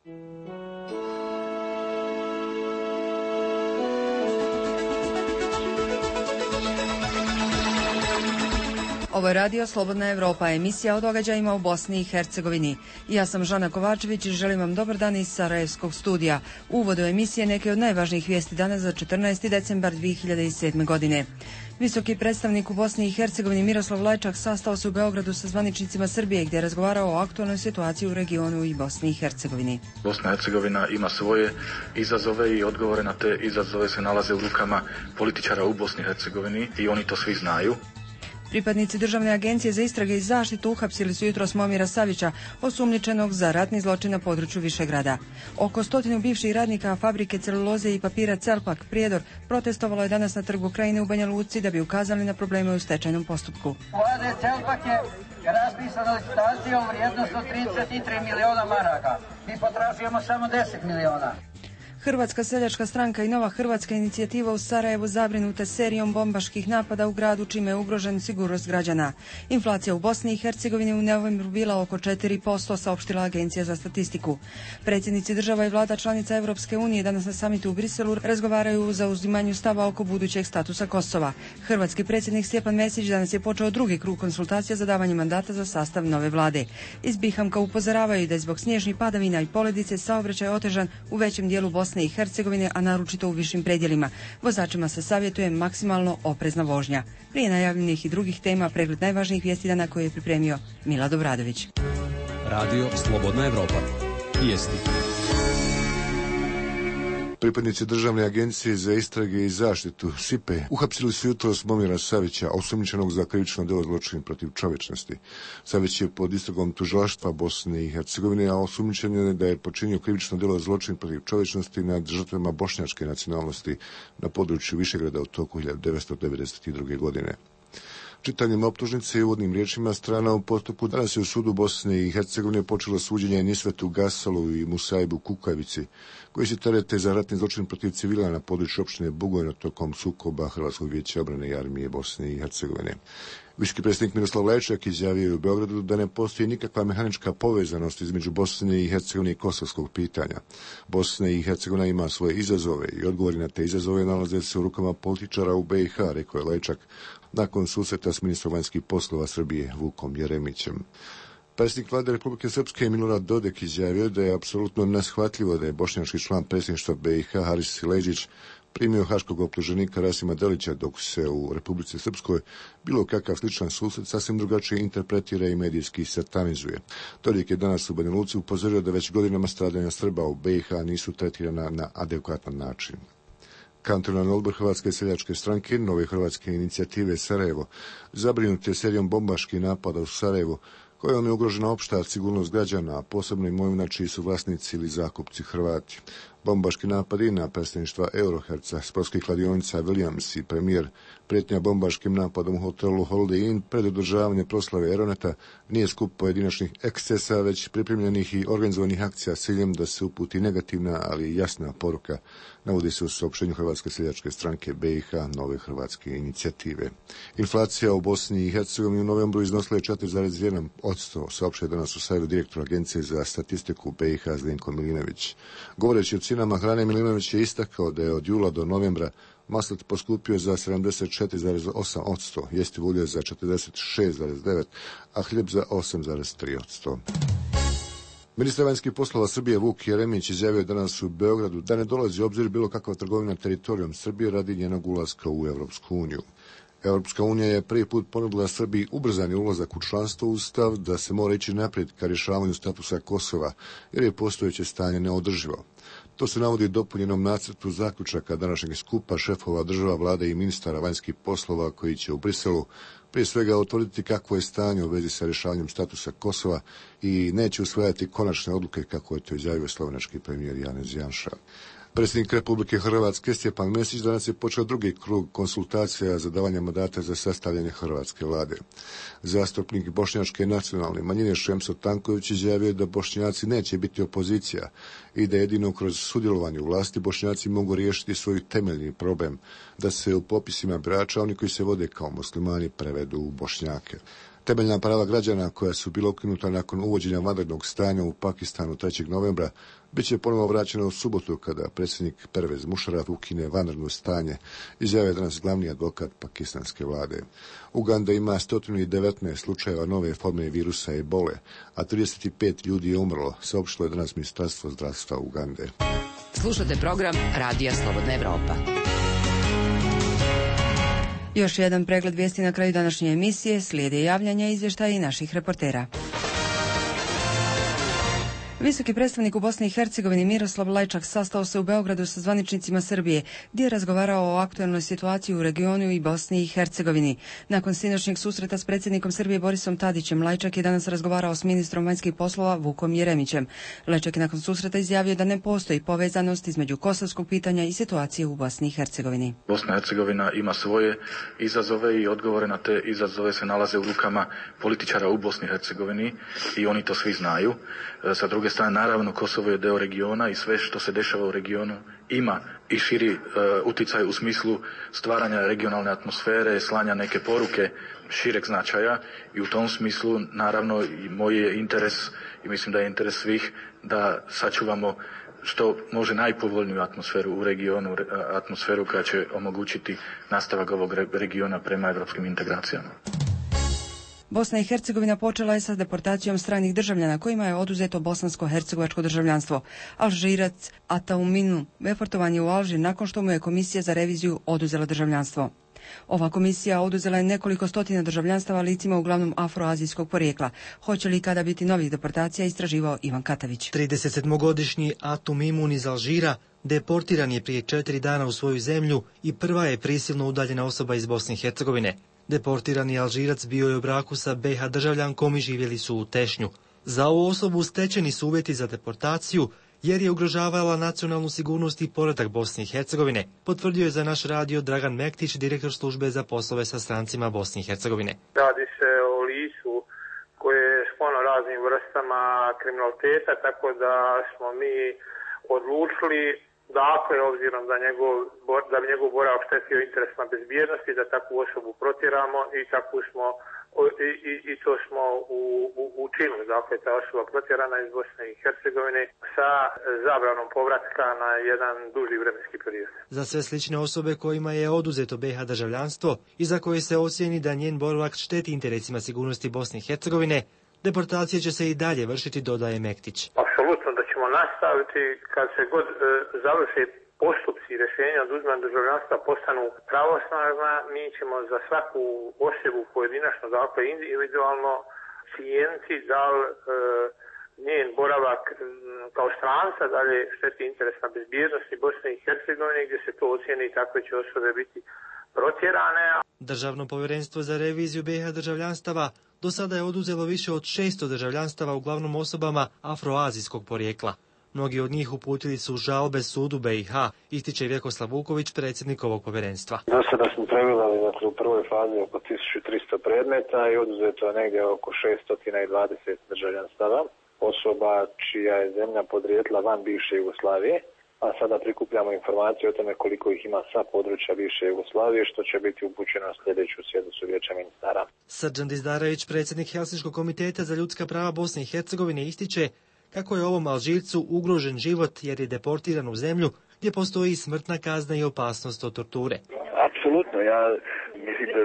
Ovo je radio Slobodna Evropa, emisija o događajima u Bosni i Hercegovini. Ja sam Žana Kovačević i želim vam dobar dan iz Sarajevskog studija. U uvodu emisije neke od najvažnijih vijesti danas za 14. decembar 2007. godine. Visoki predstavnik u Bosni i Hercegovini Miroslav Lajčak sastao se u Beogradu sa zvaničnicima Srbije gdje je razgovarao o aktualnoj situaciji u regionu i Bosni i Hercegovini. Bosna i Hercegovina ima svoje izazove i odgovore na te izazove se nalaze u rukama političara u Bosni i Hercegovini i oni to svi znaju. Pripadnici Državne agencije za istrage i zaštitu uhapsili su jutros Momira Savića, osumnjičenog za ratni zločin na području Višegrada. Oko 100 bivših radnika fabrike celuloze i papira Celpak Prijedor protestovalo je danas na Trgu Krajine u Banja Luci da bi ukazali na probleme u stečajnom postupku. Vlade Celpak je raspisana licitacija u vrijednosti od 33 miliona maraka. Mi potražujemo samo 10 miliona. Hrvatska seljačka stranka i Nova hrvatska inicijativa u Sarajevu zabrinute serijom bombaških napada u gradu čime je ugrožen sigurnost građana. Inflacija u Bosni i Hercegovini u novembru bila oko 4%, saopštila Agencija za statistiku. Predsjednici država i vlada članica Europske unije danas na samitu u Briselu razgovaraju o zauzimanju stava oko budućeg statusa Kosova. Hrvatski predsjednik Stjepan Mesić danas je počeo drugi krug konsultacija za davanje mandata za sastav nove vlade. Iz Bihamka upozoravaju da je zbog snježnih padavina i poledice saobraćaj otežan u većem dijelu Bosne i Hercegovine, a naročito u višim predjelima. Vozačima se savjetuje maksimalno oprezna vožnja. Prije najavljenih i drugih tema pregled najvažnijih vijesti dana koje je pripremio Milad Obradović. Radio Slobodna Evropa. Vijesti. Pripadnici Državne agencije za istrage i zaštitu SIPE uhapsili su jutros Momira Savića, osumnjičenog za krivično djelo zločin protiv čovječnosti. Savić je pod istragom tužilaštva Bosne i Hercegovine, a osumnjičen je da je počinio krivično djelo zločin protiv čovječnosti nad žrtvama bošnjačke nacionalnosti na području Višegrada u toku 1992. godine. Čitanjem optužnice i uvodnim riječima strana u postupku danas je u sudu Bosne i Hercegovine počelo suđenje Nisvetu Gasalu i Musaibu Kukavici, koji se terete za ratni zločin protiv civila na području opštine Bugojno tokom sukoba Hrvatskog vijeća obrane i armije Bosne i Hercegovine. Visoki predsjednik Miroslav Lajčak izjavio je u Beogradu da ne postoji nikakva mehanička povezanost između Bosne i Hercegovine i kosovskog pitanja. Bosna i Hercegovina ima svoje izazove i odgovori na te izazove nalaze se u rukama političara u BiH, rekao je Lajčak nakon susreta s ministrom vanjskih poslova Srbije Vukom Jeremićem. Predsjednik vlade Republike Srpske Milorad Dodik izjavio da je apsolutno neshvatljivo da je bošnjački član predsjedništva BiH Haris Sileđić primio haškog optuženika Rasima Delića, dok se u Republici Srpskoj bilo kakav sličan susret sasvim drugačije interpretira i medijski satanizuje. Dodik je danas u Banja Luci upozorio da već godinama stradanja Srba u BiH nisu tretirana na adekvatan način. Kantonalni odbor Hrvatske seljačke stranke Nove hrvatske inicijative Sarajevo zabrinut je serijom bombaških napada u Sarajevu kojom je ugrožena opšta sigurnost građana, a posebno imovina čiji su vlasnici ili zakupci Hrvati. Bombaški napadi na predstavništva Euroherca, sportskih kladionica Williams i premijer, prijetnja bombaškim napadom u hotelu Holiday Inn pred održavanje proslave Eroneta nije skup pojedinačnih ekscesa, već pripremljenih i organizovanih akcija s ciljem da se uputi negativna, ali jasna poruka, navodi se u saopštenju Hrvatske seljačke stranke BiH Nove hrvatske inicijative. Inflacija u Bosni i Hercegovini u novembru iznosila je 4,1%, saopštio je danas u Sarajevu direktor Agencije za statistiku BiH Zdenko Milinović. Govoreći o cijenama hrane, Milinović je istakao da je od jula do novembra maslat poskupio za 74,8%, jestivo ulje za 46,9%, a hljeb za 8,3%. Ministar vanjskih poslova Srbije Vuk Jeremić izjavio danas u Beogradu da ne dolazi u obzir bilo kakva trgovina teritorijom Srbije radi njenog ulaska u Europsku uniju. Europska unija je prvi put ponudila Srbiji ubrzani ulazak u članstvo uz stav da se mora ići naprijed ka rješavanju statusa Kosova, jer je postojeće stanje neodrživo. To se navodi u dopunjenom nacrtu zaključaka današnjeg skupa šefova država, vlade i ministara vanjskih poslova koji će u Briselu prije svega utvrditi kakvo je stanje u vezi sa rješavanjem statusa Kosova i neće usvajati konačne odluke, kako je to izjavio slovenački premijer Janez Janša. Predsjednik Republike Hrvatske Stjepan Mesić danas je počeo drugi krug konsultacija za davanje mandata za sastavljanje hrvatske vlade. Zastupnik bošnjačke nacionalne manjine Šemso Tanković izjavio da Bošnjaci neće biti opozicija i da jedino kroz sudjelovanje u vlasti Bošnjaci mogu riješiti svoj temeljni problem, da se u popisima birača oni koji se vode kao muslimani prevedu u Bošnjake. Temeljna prava građana koja su bila ukinuta nakon uvođenja vanrednog stanja u Pakistanu 3. novembra bit će ponovo vraćena u subotu kada predsjednik Pervez Musharraf ukine vanredno stanje, izjavio danas glavni advokat pakistanske vlade. Uganda ima 119 slučajeva nove forme virusa ebole, a 35 ljudi je umrlo, saopštilo je danas Ministarstvo zdravstva Ugande. Slušate program Radija Slobodna Evropa. Još jedan pregled vijesti na kraju današnje emisije, slijede javljanja i izvještaja i naših reportera. Visoki predstavnik u Bosni i Hercegovini Miroslav Lajčak sastao se u Beogradu sa zvaničnicima Srbije, gdje je razgovarao o aktuelnoj situaciji u regionu i Bosni i Hercegovini. Nakon sinoćnjeg susreta s predsjednikom Srbije Borisom Tadićem, Lajčak je danas razgovarao s ministrom vanjskih poslova Vukom Jeremićem. Lajčak je nakon susreta izjavio da ne postoji povezanost između kosovskog pitanja i situacije u Bosni i Hercegovini. Bosna i Hercegovina ima svoje izazove i odgovore na te izazove se nalaze u rukama političara u Bosni i Hercegovini i oni to svi znaju. Sa druge strane, naravno, Kosovo je deo regiona i sve što se dešava u regionu ima i širi utjecaj u smislu stvaranja regionalne atmosfere, slanja neke poruke šireg značaja i u tom smislu, naravno, i moj je interes i mislim da je interes svih da sačuvamo što može najpovoljniju atmosferu u regionu, atmosferu koja će omogućiti nastavak ovog regiona prema evropskim integracijama. Bosna i Hercegovina počela je sa deportacijom stranih državljana kojima je oduzeto bosansko-hercegovačko državljanstvo. Alžirac Atauminu deportovan je u Alžir nakon što mu je komisija za reviziju oduzela državljanstvo. Ova komisija oduzela je nekoliko stotina državljanstava licima uglavnom afroazijskog porijekla. Hoće li kada biti novih deportacija, istraživao Ivan Katavić. 37-godišnji Atumimun iz Alžira deportiran je prije 4 dana u svoju zemlju i prva je prisilno udaljena osoba iz Bosne i Hercegovine. Deportirani Alžirac bio je u braku sa BiH državljankom i živjeli su u Tešnju. Za ovu osobu stečeni su uvjeti za deportaciju jer je ugrožavala nacionalnu sigurnost i poredak Bosne i Hercegovine, potvrdio je za naš radio Dragan Mektić, direktor službe za poslove sa strancima Bosne i Hercegovine. Radi se o licu koje je sklono raznim vrstama kriminaliteta, tako da smo mi odlučili, dakle, obzirom da bi njegov boravak štetio interesima bezbjednosti, da takvu osobu protjeramo i to smo učinili. Dakle, ta osoba protjerana iz Bosne i Hercegovine sa zabranom povratka na jedan duži vremenski period. Za sve slične osobe kojima je oduzeto BiH državljanstvo i za koje se ocijeni da njen boravak šteti interesima sigurnosti Bosne i Hercegovine, deportacija će se i dalje vršiti, dodaje Mektić. Apsolutno da ćemo nastaviti kad se god završe postupci rješenja oduzimanja državljanstva postanu pravosnažna, mi ćemo za svaku osobu pojedinačno, dakle individualno cijeniti da li njen boravak kao stranca dalje šteti interesna bezbjednosti Bosne i Hercegovine, gdje se to ocijeni i takve će osobe biti protjerane. Državno povjerenstvo za reviziju BiH državljanstava do sada je oduzelo više od 600 državljanstava uglavnom osobama afroazijskog porijekla. Mnogi od njih uputili su žalbe sudu BiH, ističe Vjekoslav Vuković, predsjednik ovog povjerenstva. Do sada smo pregledali u prvoj fazi oko 1300 predmeta i oduzeto je negdje oko 620 državljanstava osoba čija je zemlja podrijetla van bivše Jugoslavije, a sada prikupljamo informacije o tome koliko ih ima sa područja bivše Jugoslavije, što će biti upućeno na sljedeću sjednicu Vijeća ministara. Srđan Dizdarević, predsjednik Helsinškog komiteta za ljudska prava Bosne i Hercegovine, ističe kako je ovom Alžircu ugrožen život jer je deportiran u zemlju gdje postoji smrtna kazna i opasnost od torture. Apsolutno, ja mislim da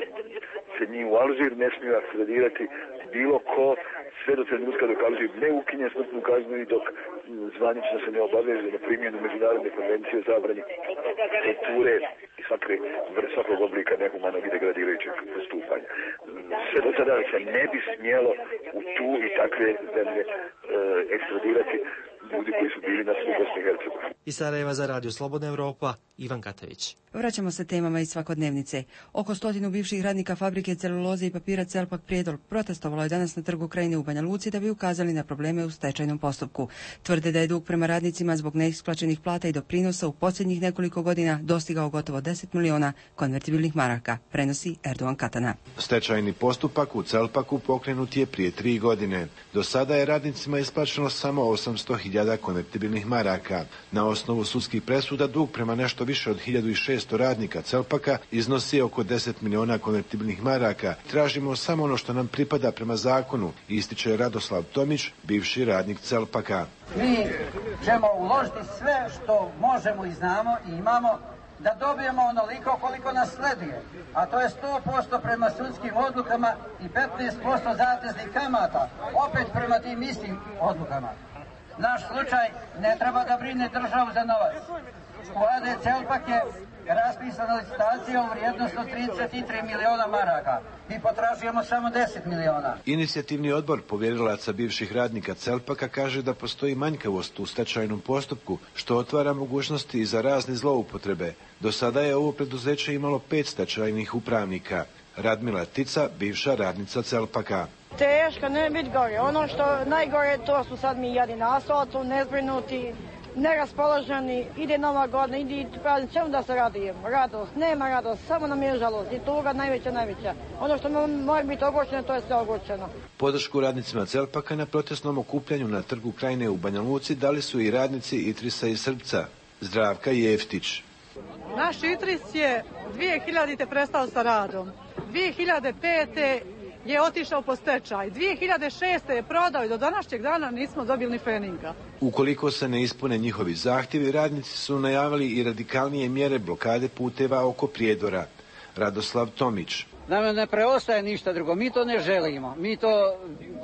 se njih u Alžir ne smiju akkreditirati bilo ko sve do trenutka dok Alžir ne ukinje smrtnu kaznu i dok zvanično se ne obaveže na primjenu međunarodne konvencije o zabrani torture i svakog oblika nehumanog i degradirajućeg postupanja. Sve do tada se ne bi smjelo u tu i takve zemlje ekstradirati ljudi koji su bili na svu Bosni i Hercegovini. Iz Sarajeva za Radio Slobodna Evropa, Ivan Katavić. Vraćamo se temama iz svakodnevnice. Oko 100 bivših radnika fabrike celuloze i papira Celpak Prijedor protestovalo je danas na trgu Krajine u Banja Luci da bi ukazali na probleme u stečajnom postupku. Tvrde da je dug prema radnicima zbog neisplaćenih plata i doprinosa u posljednjih nekoliko godina dostigao gotovo 10 miliona konvertibilnih maraka, prenosi Erdogan Katana. Stečajni postupak u Celpaku pokrenut je prije 3 godine. Do sada je radnicima isplaćeno samo 800.000 konvertibilnih maraka. Na osnovu sudskih presuda dug prema nešto više od 1600 radnika Celpaka iznosi oko 10 miliona konvertibilnih maraka. Tražimo samo ono što nam pripada prema zakonu, ističe Radoslav Tomić, bivši radnik Celpaka. Mi ćemo uložiti sve što možemo i znamo i imamo da dobijemo onoliko koliko nas sleduje, a to je 100% prema sudskim odlukama i 15% zateznih kamata, opet prema tim istim odlukama. Naš slučaj ne treba da brine državu za novac. U AD Celpak je raspisana licitacija u vrijednosti od 33 miliona maraka. Mi potražujemo samo 10 miliona. Inicijativni odbor povjerilaca bivših radnika Celpaka kaže da postoji manjkavost u stečajnom postupku, što otvara mogućnosti za razne zloupotrebe. Do sada je ovo preduzeće imalo 5 stečajnih upravnika. Radmila Tica, bivša radnica Celpaka. Teško, ne biti gore. Ono što najgore, to su sad mi jadi na asfaltu, nezbrinuti, neraspoloženi, ide Nova godina, ide praznik, čemu da se radujemo? Radost, nema radost, samo nam je žalost i tuga najveća. Ono što mora biti ogorčeno, to je sve ogorčeno. Podršku radnicima Celpaka na protestnom okupljanju na Trgu Krajine u Banja Luci dali su i radnici Itrisa i Srpca. Zdravka Jeftić. Naš Itris je 2000. prestao sa radom. 2005. je otišao po stečaj. 2006. je prodao i do današnjeg dana nismo dobili ni feninga. Ukoliko se ne ispune njihovi zahtjevi, radnici su najavili i radikalnije mjere blokade puteva oko Prijedora. Radoslav Tomić. Nama ne preostaje ništa drugo, mi to ne želimo,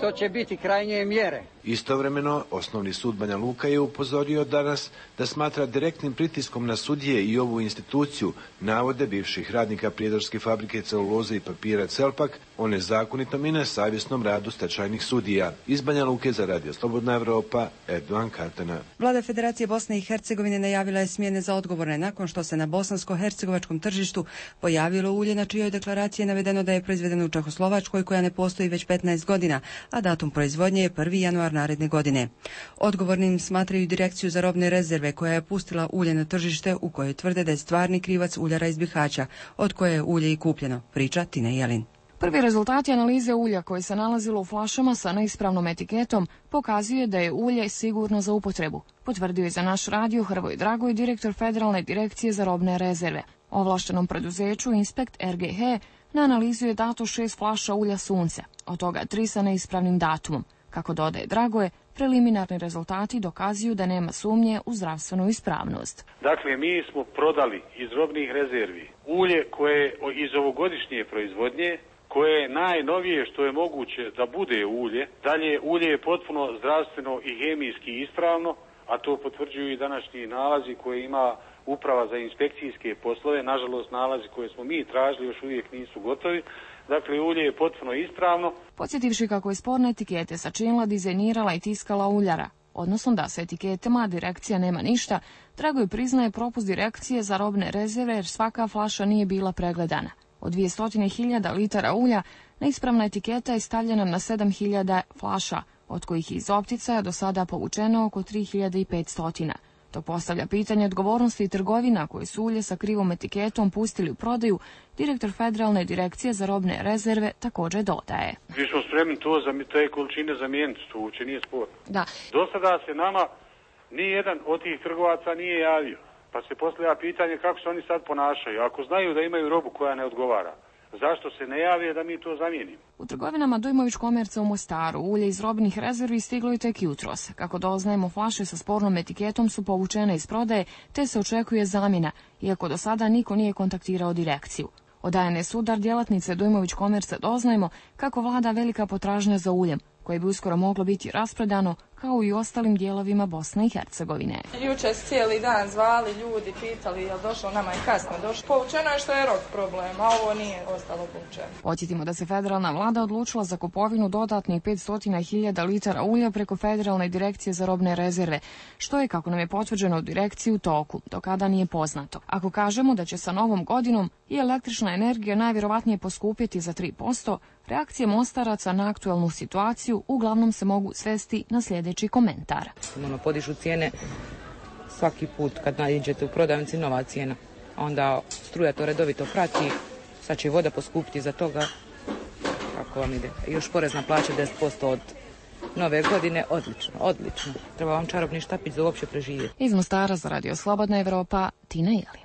to će biti krajnje mjere. Istovremeno, Osnovni sud Banja Luka je upozorio danas da smatra direktnim pritiskom na sudije i ovu instituciju navode bivših radnika Prijedorske fabrike celuloze i papira Celpak o nezakonitom i nesavjesnom radu stečajnih sudija. Iz Banja Luke za Radio Slobodna Evropa, Erdogan Kartana. Vlada Federacije Bosne i Hercegovine najavila je smjene za odgovorne nakon što se na bosansko-hercegovačkom tržištu pojavilo ulje na čijoj deklaraciji je navedeno da je proizvedeno u Čehoslovačkoj koja ne postoji već 15 godina, a datum proizvodnje je 1. januar naredne godine. Odgovornim smatraju Direkciju za robne rezerve koja je pustila ulje na tržište u kojoj tvrde da je stvarni krivac uljara iz Bihaća, od koje je ulje i kupljeno, priča Tina Jelin. Prvi rezultati analize ulja koje se nalazilo u flašama sa neispravnom etiketom pokazuje da je ulje sigurno za upotrebu, potvrdio je za naš radio Hrvoje Dragoj, direktor Federalne direkcije za robne rezerve. Ovlaštenom preduzeću Inspekt RGH na analizu je dato 6 flaša ulja sunce, od toga 3 sa neispravnim datumom. Kako dodaje Dragoje, preliminarni rezultati dokazuju da nema sumnje u zdravstvenu ispravnost. Dakle, mi smo prodali iz robnih rezervi ulje koje je iz ovogodišnje proizvodnje, koje je najnovije što je moguće da bude ulje. Dalje, ulje je potpuno zdravstveno i hemijski ispravno, a to potvrđuju i današnji nalazi koje ima Uprava za inspekcijske poslove. Nažalost, nalazi koje smo mi tražili još uvijek nisu gotovi. Dakle, ulje je potpuno ispravno. Podsjetivši kako je sporne etikete sačinila, dizajnirala i tiskala uljara, odnosno da sa etiketama direkcija nema ništa, Dragoj priznaje propust direkcije za robne rezerve jer svaka flaša nije bila pregledana. Od 200.000 litara ulja neispravna etiketa je stavljena na 7.000 flaša, od kojih iz opticaja do sada povučeno oko 3.500. To postavlja pitanje odgovornosti trgovina koje su ulje sa krivom etiketom pustili u prodaju. Direktor Federalne direkcije za robne rezerve također dodaje. Mi smo spremni te količine zamijeniti, to uopće nije sporno. Da. Do sada se nama nijedan od tih trgovaca nije javio. Pa se postavlja pitanje kako se oni sad ponašaju. Ako znaju da imaju robu koja ne odgovara, zašto se ne jave da mi to zamijenimo? U trgovinama Dujmović Komerca u Mostaru ulje iz robnih rezervi stiglo je tek jutros. Kako doznajemo, flaše sa spornom etiketom su povučene iz prodaje, te se očekuje zamjena, iako do sada niko nije kontaktirao direkciju. Od ANS Udar djelatnice Dujmović Komerca doznajemo kako vlada velika potražnja za uljem, koje bi uskoro moglo biti rasprodano, kao i u ostalim dijelovima Bosne i Hercegovine. Jučer cijeli dan zvali ljudi, pitali je li došlo, nama je kasno došlo. Povučeno je što je rok problem, a ovo nije ostalo povučeno. Podsjetimo da se federalna vlada odlučila za kupovinu dodatnih 500.000 litara ulja preko Federalne direkcije za robne rezerve, što je, kako nam je potvrđeno u direkciji, u toku, do kada nije poznato. Ako kažemo da će sa novom godinom i električna energija najvjerovatnije poskupiti za 3%, reakcije Mostaraca na aktualnu situaciju uglavnom se mogu svesti na sljedeći komentar. Podižu cijene svaki put kad naiđete u prodavnici, nova cijena. Onda struja to redovito prati, sad će voda poskupiti za toga. Kako vam ide? Još porez na plaće 10% od Nove godine, odlično. Treba vam čarobni štapić za uopće preživjeti. Iz Mostara za Radio Slobodna Evropa, Tina Jelin.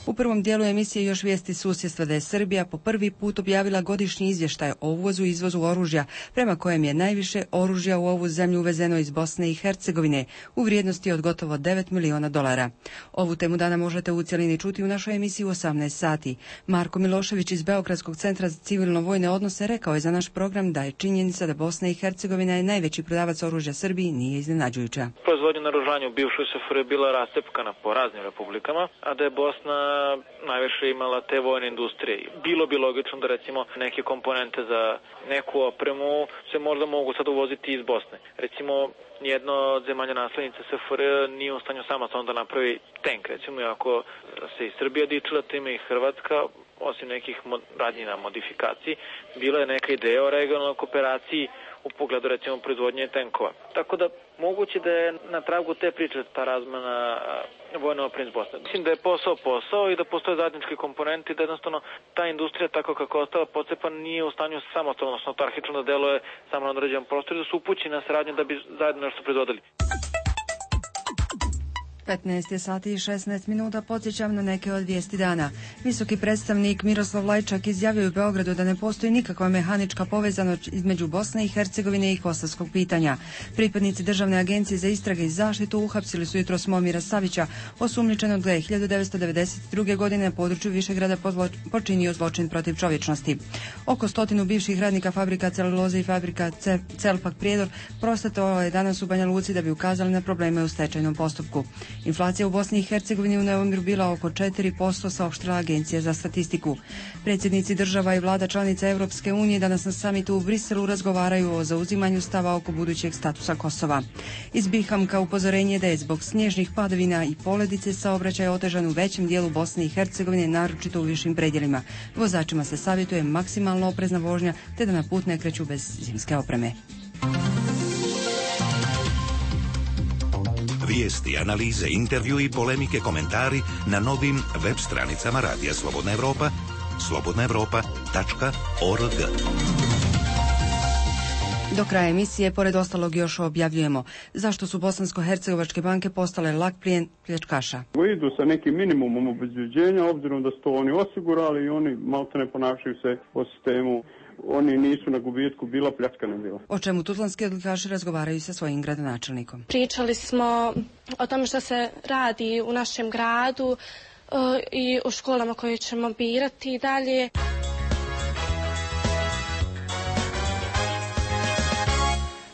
U prvom dijelu emisije još vijesti susjedstva da je Srbija po prvi put objavila godišnji izvještaj o uvozu i izvozu oružja, prema kojem je najviše oružja u ovu zemlju uvezeno iz Bosne i Hercegovine u vrijednosti od gotovo $9 miliona. Ovu temu dana možete u cjelini čuti u našoj emisiji u 18 sati. Marko Milošević iz Beogradskog centra za civilno-vojne odnose rekao je za naš program da je činjenica da Bosna i Hercegovina je najveći prodavac oružja Srbiji nije iznenađujuća. Proizvodnja naoružanja u bivšoj SFRJ bila rastepkana po raznim republikama, a da je Bosna najviše imala te vojne industrije. Bilo bi logično da recimo neke komponente za neku opremu se možda mogu sad uvoziti iz Bosne. Recimo, nijedno od zemalja naslednica SFRJ nije u stanju samostalno da napravi tank. Recimo, ako se i Srbija dičila time i Hrvatska, osim nekih radnji na modifikaciji, bila je neka ideja o regionalnoj kooperaciji u pogledu recimo proizvodnje tenkova. Tako da moguće da je na tragu te priče ta razmena vojne opreme iz Bosne. Mislim da je posao i da postoje zajednički komponenti, da jednostavno ta industrija tako kako je ostala pocepan nije u stanju samostalno, odnosno autarhično da deluje samo na određenom prostoru, da su upućeni na saradnju da bi zajedno nešto proizvodili. 15 sati i 16 minuta, podsjećam na neke od vijesti dana. Visoki predstavnik Miroslav Lajčak izjavio u Beogradu da ne postoji nikakva mehanička povezanost između Bosne i Hercegovine i kosovskog pitanja. Pripadnici Državne agencije za istrage i zaštitu uhapsili su jutros Momira Savića, osumnjičenog da je 1992. godine na području Višegrada počinio zločin protiv čovječnosti. Oko 100 bivših radnika fabrika celuloze i fabrika Celpak Prijedor prosvjedovalo je danas u Banja Luci da bi ukazali na probleme u stečajnom postupku. Inflacija u Bosni i Hercegovini u novembru bila oko 4%, saopštila Agencija za statistiku. Predsjednici država i vlada članica Europske unije danas na samitu u Briselu razgovaraju o zauzimanju stava oko budućeg statusa Kosova. Iz Bihamka upozorenje da je zbog snježnih padavina i poledice saobraćaj otežan u većem dijelu Bosne i Hercegovine, naročito u višim predjelima. Vozačima se savjetuje maksimalno oprezna vožnja te da na put ne kreću bez zimske opreme. Vijesti, analize, intervju i polemike, komentari na novim web stranicama Radija Slobodna Evropa, slobodnaevropa.org. Do kraja emisije, pored ostalog, još objavljujemo zašto su bosansko-hercegovačke banke postale lak plijen pljačkaša. Idu sa nekim minimumom obezbeđenja, obzirom da su to oni osigurali i oni maltene ponašaju se po sistemu. Oni nisu na gubitku, bila pljačkana bila. O čemu tuzlanski odlikaši razgovaraju sa svojim gradonačelnikom. Pričali smo o tome što se radi u našem gradu i o školama koje ćemo birati dalje.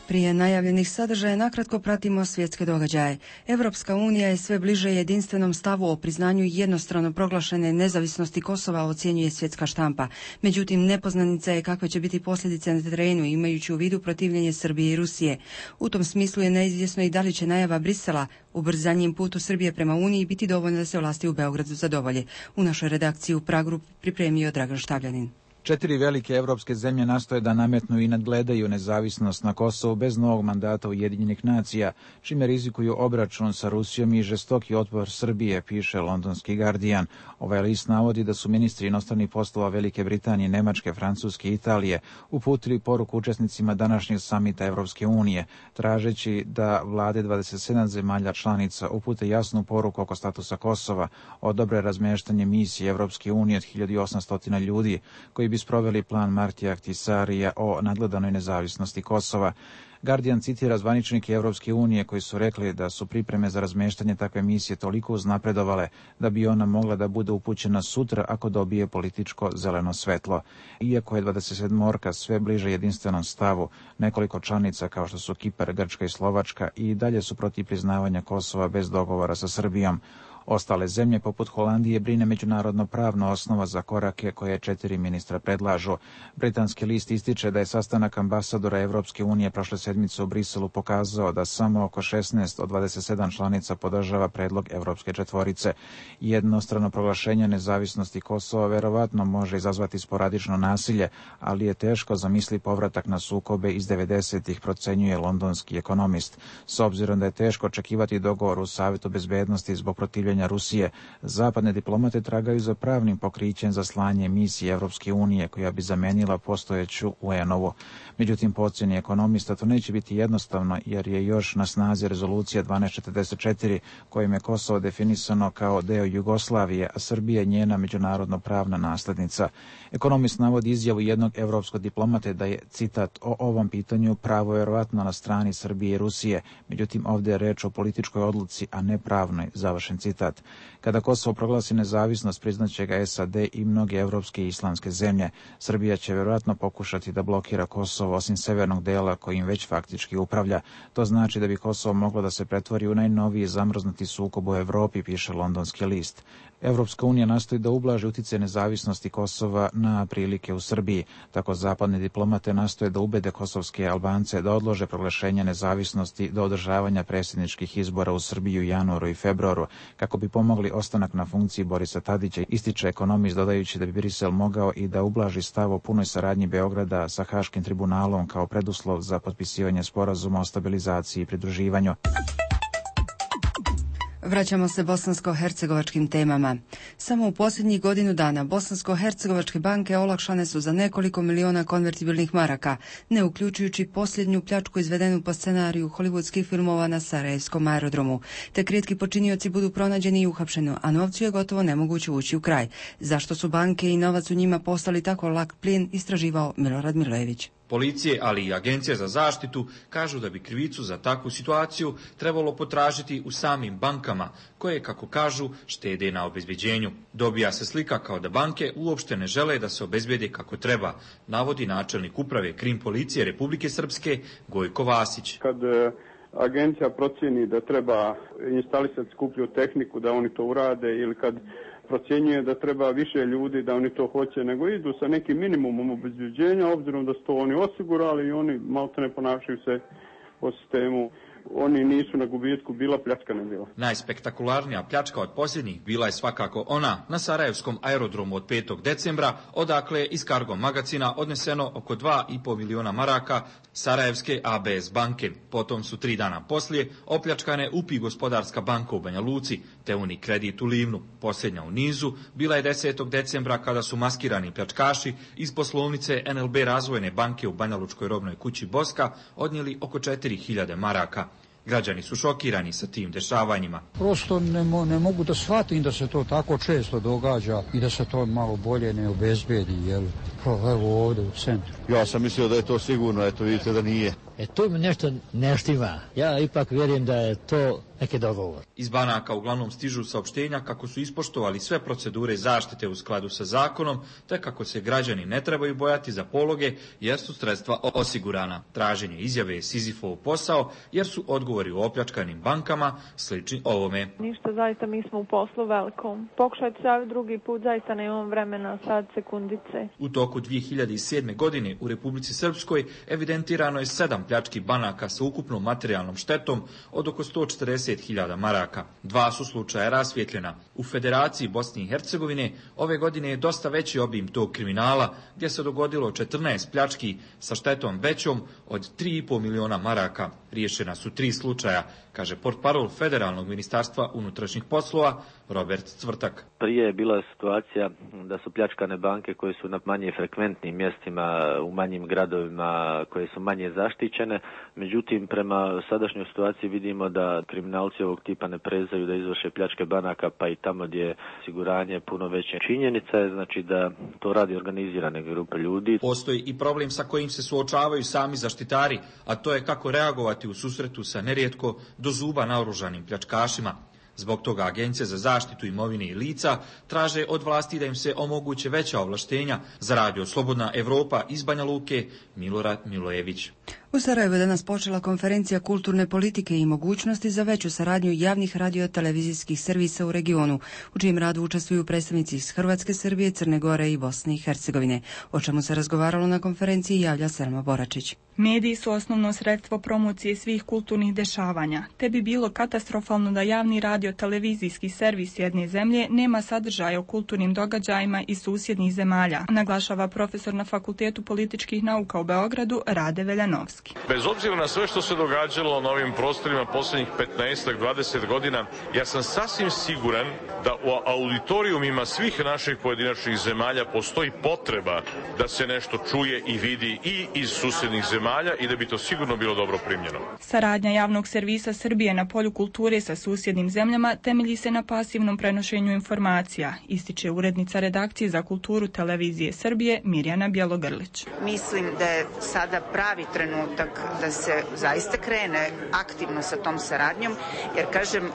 Prije najavljenih sadržaja nakratko pratimo svjetske događaje. Europska unija je sve bliže jedinstvenom stavu o priznanju jednostrano proglašene nezavisnosti Kosova, ocjenjuje svjetska štampa. Međutim, nepoznanica je kakve će biti posljedice na terenu, imajući u vidu protivljenje Srbije i Rusije. U tom smislu je neizvjesno i da li će najava Brisela ubrzanjem putu Srbije prema Uniji biti dovoljno da se vlasti u Beogradu zadovolje. U našoj redakciji u Pragu pripremio Dragan Štavljanin. 4 velike evropske zemlje nastoje da nametnu i nadgledaju nezavisnost na Kosovu bez novog mandata Ujedinjenih nacija, čime rizikuju obračun sa Rusijom i žestoki otpor Srbije, piše londonski Guardian. Ovaj list navodi da su ministri inostranih poslova Velike Britanije, Nemačke, Francuske i Italije uputili poruku učesnicima današnjeg samita Evropske unije, tražeći da vlade 27 zemalja članica upute jasnu poruku oko statusa Kosova, odobre razmještanje misije Evropske unije od 1800 ljudi, koji bi sproveli plan Martija Ahtisarija o nadgledanoj nezavisnosti Kosova. Guardian citira zvaničnike Evropske unije koji su rekli da su pripreme za razmeštanje takve misije toliko uznapredovale da bi ona mogla da bude upućena sutra ako dobije političko zeleno svetlo. Iako je 27 sve bliže jedinstvenom stavu, nekoliko članica kao što su Kipar, Grčka i Slovačka i dalje su protiv priznavanja Kosova bez dogovora sa Srbijom. Ostale zemlje poput Holandije brine međunarodno pravna osnova za korake koje 4 ministra predlažu. Britanski list ističe da je sastanak ambasadora Evropske unije prošle sedmice u Briselu pokazao da samo oko 16 od 27 članica podržava predlog Evropske četvorice. Jednostrano proglašenje nezavisnosti Kosova verovatno može izazvati sporadično nasilje, ali je teško zamisli povratak na sukobe iz 90-ih, procenjuje londonski ekonomist. S obzirom da je teško očekivati dogovor u Savetu bezbednosti zbog protivljenja pitanja Rusije. Zapadne diplomate tragaju za pravnim pokrićem za slanje misije Evropske unije koja bi zamenila postojeću UN-ovu. Međutim, po ocjeni ekonomista to neće biti jednostavno jer je još na snazi rezolucija 1244 kojim je Kosovo definisano kao deo Jugoslavije, a Srbija je njena međunarodno pravna naslednica. Ekonomist navodi izjavu jednog evropskog diplomate da je, citat, o ovom pitanju pravo vjerovatno na strani Srbije i Rusije, međutim ovdje je reč o političkoj odluci, a ne pravnoj, završen citat. Kada Kosovo proglasi nezavisnost, priznaće ga SAD i mnoge evropske i islamske zemlje. Srbija će vjerojatno pokušati da blokira Kosovo osim severnog dela kojim već faktički upravlja. To znači da bi Kosovo moglo da se pretvori u najnoviji zamrznuti sukob u Evropi, piše Londonski list. Evropska unija nastoji da ublaži utjecaj nezavisnosti Kosova na prilike u Srbiji. Tako zapadne diplomate nastoje da ubede kosovske Albance da odlože proglašenje nezavisnosti do održavanja predsjedničkih izbora u Srbiji u januaru i februaru, kako bi pomogli ostanak na funkciji Borisa Tadića, ističe ekonomist dodajući da bi Brisel mogao i da ublaži stav o punoj saradnji Beograda sa Haškim tribunalom kao preduslov za potpisivanje sporazuma o stabilizaciji i pridruživanju. Vraćamo se bosansko-hercegovačkim temama. Samo u posljednjih godinu dana bosansko-hercegovačke banke olakšane su za nekoliko miliona konvertibilnih maraka, ne uključujući posljednju pljačku izvedenu po scenariju hollywoodskih filmova na Sarajevskom aerodromu. Tek rijetki počinioci budu pronađeni i uhapšeni, a novcu je gotovo nemoguće ući u kraj. Zašto su banke i novac u njima postali tako lak plijen, istraživao Milorad Milojević. Policije, ali i agencije za zaštitu kažu da bi krivicu za takvu situaciju trebalo potražiti u samim bankama, koje, kako kažu, štede na obezbeđenju. Dobija se slika kao da banke uopšte ne žele da se obezbede kako treba, navodi načelnik uprave Krim policije Republike Srpske Gojko Vasić. Kad agencija procjeni da treba instalisati skuplju tehniku da oni to urade ili kad procjenjuje da treba više ljudi da oni to hoće, nego idu sa nekim minimumom obezbeđenja, obzirom da su to oni osigurali i oni malte ne ponašaju se po sistemu. Oni nisu na gubitku, bila pljačka ne bila. Najspektakularnija pljačka od posljednjih bila je svakako ona na Sarajevskom aerodromu od 5. decembra, odakle je iz Cargo magazina odneseno oko 2,5 miliona maraka Sarajevske ABS banke. Potom su 3 dana poslije opljačkane UPI Gospodarska banka u Banja Luci te Unikredit u Livnu. Posljednja u nizu bila je 10. decembra kada su maskirani pljačkaši iz poslovnice NLB Razvojne banke u Banja Lučkoj robnoj kući Boska odnijeli oko 4.000 maraka. Građani su šokirani sa tim dešavanjima. Prosto ne mogu da shvatim da se to tako često događa i da se to malo bolje ne obezbedi, jel? Evo ovdje u centru. Ja sam mislio da je to sigurno, eto vidite da nije. To mi nešto ne štima. Ja ipak vjerujem da je to neki dogovor. Iz banaka uglavnom stižu saopštenja kako su ispoštovali sve procedure zaštite u skladu sa zakonom, te kako se građani ne trebaju bojati za pologe jer su sredstva osigurana. Traženje izjave je Sizifov posao jer su odgovori u opljačkanim bankama slični ovome. Ništa, zaista mi smo u poslu velikom. Pokušajte se drugi put, zaista nemam vremena sad sekundice. U toku 2007. godine u Republici Srpskoj evidentirano je 7 pljački banaka sa ukupnom materijalnom štetom od oko 140.000 maraka. 2 su slučaja rasvjetljena. U Federaciji Bosne i Hercegovine ove godine je dosta veći obim tog kriminala, gdje se dogodilo 14 pljački sa štetom većom od 3,5 miliona maraka. Riješena su 3 slučaja, kaže portparol Federalnog ministarstva unutrašnjih poslova Robert Cvrtak. Prije je bila situacija da su pljačkane banke koje su na manje frekventnim mjestima, u manjim gradovima koje su manje zaštićene. Međutim, prema sadašnjoj situaciji vidimo da kriminalci ovog tipa ne prezaju da izvrše pljačke banaka, pa i tamo gdje je osiguranje puno veće. Činjenica je znači da to radi organizirane grupe ljudi. Postoji i problem sa kojim se suočavaju sami zaštitari, a to je kako reagovati u susretu sa nerijetko do zuba naoružanim pljačkašima. Zbog toga Agencija za zaštitu imovine i lica traže od vlasti da im se omoguće veća ovlaštenja za radio Slobodna Evropa iz Banja Luke, Milorad Milojević. U Sarajevu je danas počela konferencija kulturne politike i mogućnosti za veću saradnju javnih radio-televizijskih servisa u regionu, u čijem radu učestvuju predstavnici iz Hrvatske, Srbije, Crne Gore i Bosne i Hercegovine. O čemu se razgovaralo na konferenciji javlja Selma Boračić. Mediji su osnovno sredstvo promocije svih kulturnih dešavanja, te bi bilo katastrofalno da javni radio-televizijski servis jedne zemlje nema sadržaja o kulturnim događajima iz susjednih zemalja, naglašava profesor na Fakultetu političkih nauka u Beogradu Rade Veljanovski. Komorski. Bez obzira na sve što se događalo na ovim prostorima posljednjih 15-20 godina, ja sam sasvim siguran da u auditorijumima svih naših pojedinačnih zemalja postoji potreba da se nešto čuje i vidi i iz susjednih zemalja i da bi to sigurno bilo dobro primljeno. Saradnja javnog servisa Srbije na polju kulture sa susjednim zemljama temelji se na pasivnom prenošenju informacija, ističe urednica redakcije za kulturu televizije Srbije Mirjana Bjelogrlić. Mislim da je sada pravi trenutak da se zaista krene aktivno sa tom saradnjom, jer kažem,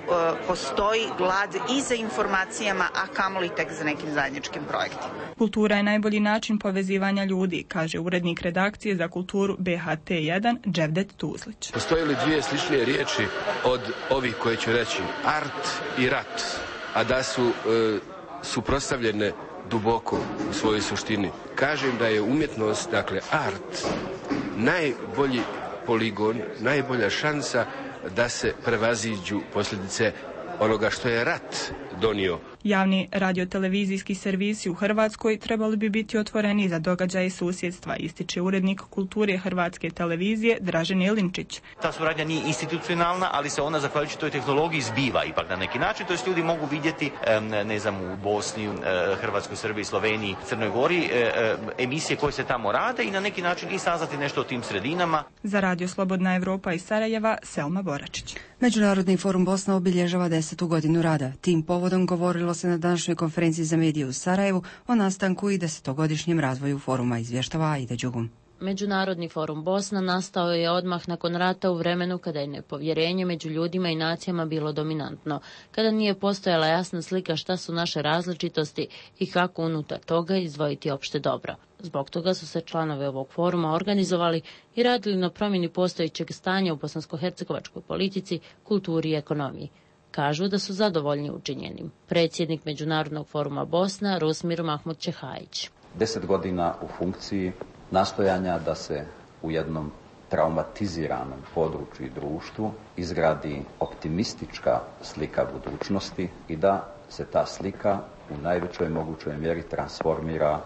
postoji glad i za informacijama, a kamoli tek za nekim zajedničkim projektima. Kultura je najbolji način povezivanja ljudi, kaže urednik redakcije za kulturu BHT1 Dževdet Tuzlić. Postoje li dvije sličnije riječi od ovih koje ću reći, art i rat, a da su suprotstavljene duboko u svojoj suštini? Kažem da je umjetnost, dakle art, najbolji poligon, najbolja šansa da se prevaziđu posljedice onoga što je rat donio. Javni radiotelevizijski servisi u Hrvatskoj trebali bi biti otvoreni za događaje susjedstva, ističe urednik kulture Hrvatske televizije Dražen Jelinčić. Ta suradnja nije institucionalna, ali se ona zahvaljujući toj tehnologiji zbiva ipak na neki način. To jest ljudi mogu vidjeti, ne znam, u Bosni, Hrvatskoj, Srbiji, Sloveniji, Crnoj Gori, emisije koje se tamo rade i na neki način i saznati nešto o tim sredinama. Za Radio Slobodna Evropa iz Sarajeva, Selma Boračić. Međunarodni forum Bosna obilježava 10. godinu rada. Tim povodom govorilo se na današnjoj konferenciji za medije u Sarajevu o nastanku i 10-godišnjem razvoju foruma, izvještava Aida Đugum. Međunarodni forum Bosna nastao je odmah nakon rata u vremenu kada je nepovjerenje među ljudima i nacijama bilo dominantno, kada nije postojala jasna slika šta su naše različitosti i kako unutar toga izdvojiti opšte dobro. Zbog toga su se članovi ovog foruma organizovali i radili na promjeni postojećeg stanja u bosansko-hercegovačkoj politici, kulturi i ekonomiji. Kažu da su zadovoljni učinjenim. Predsjednik Međunarodnog foruma Bosna, Rusmir Mahmud Čehajić. 10 godina u funkciji nastojanja da se u jednom traumatiziranom području i društvu izgradi optimistička slika budućnosti i da se ta slika u najvećoj mogućoj mjeri transformira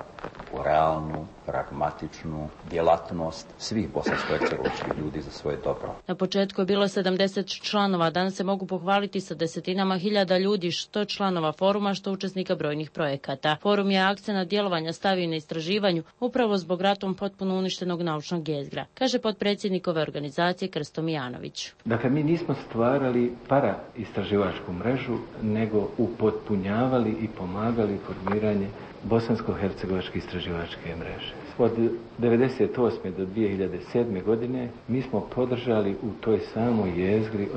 u realnu, pragmatičnu djelatnost svih bosansko-hercegovačkih ljudi za svoje dobro. Na početku je bilo 70 članova, danas se mogu pohvaliti sa desetinama hiljada ljudi, što članova foruma, što učesnika brojnih projekata. Forum je akcenat djelovanja stavio na istraživanju, upravo zbog ratom potpuno uništenog naučnog jezgra, kaže potpredsjednik ove organizacije Krsto Mijanović. Dakle, mi nismo stvarali para-istraživačku mrežu, nego upotpunjavali i pomagali formiranje bosansko-hercegovačke istraživačke mreže. Od 1998. do 2007. godine mi smo podržali u toj samoj jezgri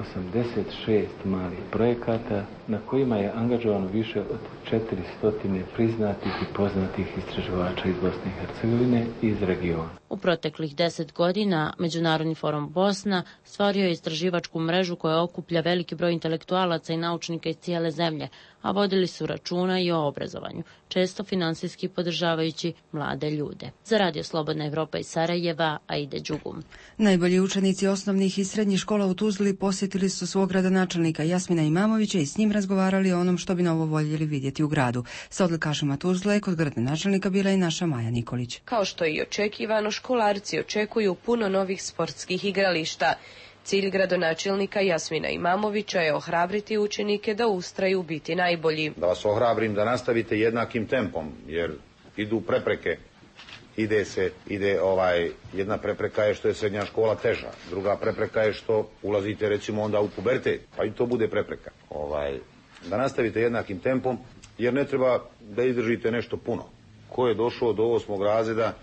86 malih projekata na kojima je angažovano više od 400 priznatih i poznatih istraživača iz Bosne i Hercegovine i iz regiona. U proteklih 10 godina Međunarodni forum Bosna stvorio je istraživačku mrežu koja okuplja veliki broj intelektualaca i naučnika iz cijele zemlje, a vodili su računa i o obrazovanju, često finansijski podržavajući mlade ljude. Za Radio Slobodna Evropa iz Sarajeva, Aida Đugum. Najbolji učenici osnovnih i srednjih škola u Tuzli posjetili su svog gradonačelnika Jasmina Imamovića i s njim razgovarali o onom što bi novo voljeli vidjeti u gradu. Sa odlikašima Tuzle kod gradonačelnika bila i naša Maja Nikolić. Kao što i očekivano, školarci očekuju puno novih sportskih igrališta. Cilj gradonačelnika Jasmina Imamovića je ohrabriti učenike da ustraju biti najbolji. Da vas ohrabrim da nastavite jednakim tempom, jer idu prepreke. Jedna prepreka je što je srednja škola teža, druga prepreka je što ulazite recimo onda u pubertet, pa i to bude prepreka. Da nastavite jednakim tempom, jer ne treba da izdržite nešto puno. Ko je došao do 8. razreda,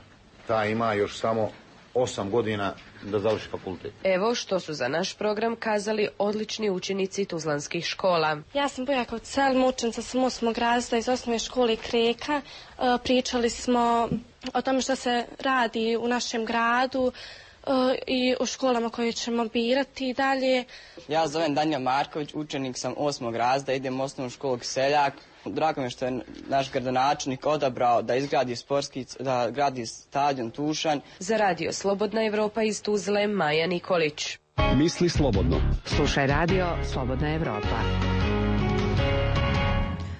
taj ima još samo 8 godina da završi fakultet. Evo što su za naš program kazali odlični učenici tuzlanskih škola. Ja sam Bojakov Selma, učenica sam 8. razreda iz osnovne škole Kreka. Pričali smo o tome što se radi u našem gradu i o školama koje ćemo birati dalje. Ja zovem Danja Marković, učenik sam 8. razreda, idem u osnovnu školu Seljak. Drago mi je što je naš gradonačelnik odabrao da izgradi da gradi stadion Tušanj. Za Radio Slobodna Evropa iz Tuzle, Maja Nikolić. Misli slobodno. Slušaj Radio Slobodna Evropa.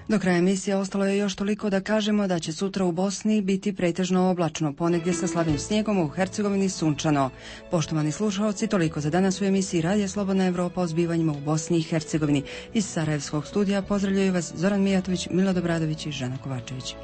Do kraja emisije ostalo je još toliko da kažemo da će sutra u Bosni biti pretežno oblačno, ponegdje sa slabim snijegom, u Hercegovini sunčano. Poštovani slušalci, toliko za danas u emisiji Radija Slobodna Evropa o zbivanjima u Bosni i Hercegovini. Iz Sarajevskog studija pozdravljaju vas Zoran Mijatović, Milo Dobradović i Žana Kovačević.